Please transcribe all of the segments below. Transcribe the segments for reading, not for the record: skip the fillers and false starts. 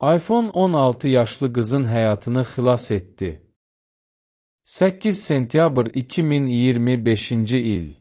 iPhone 16 yaşlı qızın həyatını xilas etdi. 8 sentyabr 2025-ci il.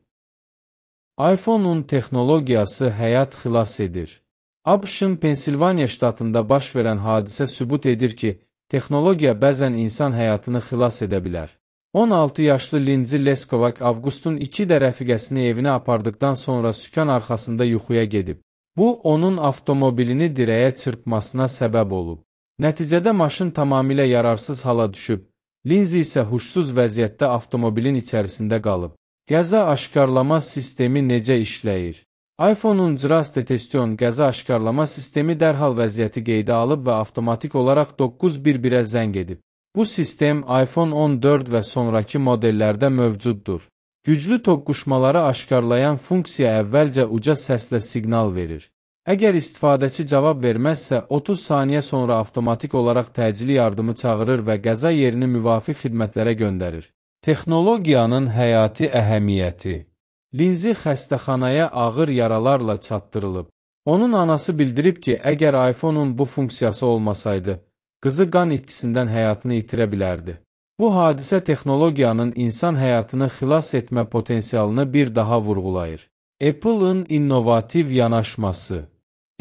iPhone-un texnologiyası həyat xilas edir. ABŞ-ın Pensilvaniya ştatında baş verən hadisə sübut edir ki, texnologiya bəzən insan həyatını xilas edə bilər. 16 yaşlı Lindsay Leskovak avqustun 2-də rəfiqəsini evinə apardıqdan sonra sükan arxasında yuxuya gedib. Bu, onun avtomobilini dirəyə çırpmasına səbəb olub. Nəticədə maşın tamamilə yararsız hala düşüb. Lindsay isə huşsuz vəziyyətdə avtomobilin içərisində qalıb. Qəza aşkarlama sistemi necə işləyir? iPhone-un Cras Detection qəza aşkarlama sistemi dərhal vəziyyəti qeydə alıb və avtomatik olaraq 911-ə zəng edib. Bu sistem iPhone 14 və sonraki modellərdə mövcuddur. Güclü toqquşmaları aşkarlayan funksiya əvvəlcə uca səslə siqnal verir. Əgər istifadəçi cavab verməzsə, 30 saniyə sonra avtomatik olaraq təcili yardımı çağırır və qəza yerini müvafiq xidmətlərə göndərir. Texnologiyanın həyati əhəmiyyəti. Lindsay xəstəxanaya ağır yaralarla çatdırılıb. Onun anası bildirib ki, əgər iPhone-un bu funksiyası olmasaydı, qızı qan itkisindən həyatını itirə bilərdi. Bu hadisə texnologiyanın insan həyatını xilas etmə potensialını bir daha vurğulayır. Apple-ın innovativ yanaşması.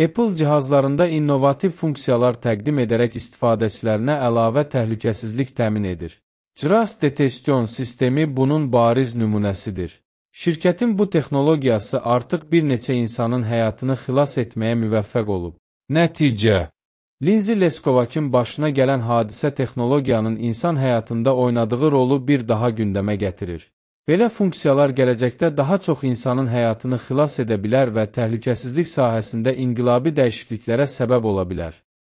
Apple cihazlarında innovativ funksiyalar təqdim edərək istifadəçilərinə əlavə təhlükəsizlik təmin edir. Cras Detection sistemi bunun bariz nümunəsidir. Şirkətin bu texnologiyası artıq bir neçə insanın həyatını xilas etməyə müvəffəq olub. Nəticə. Lindsay Leskovak'ın başına gələn hadisə texnologiyanın insan həyatında oynadığı rolu bir daha gündəmə gətirir. Belə funksiyalar gələcəkdə daha çox insanın həyatını xilas edə bilər və təhlükəsizlik sahəsində inqilabi dəyişikliklərə səbəb ola bilər.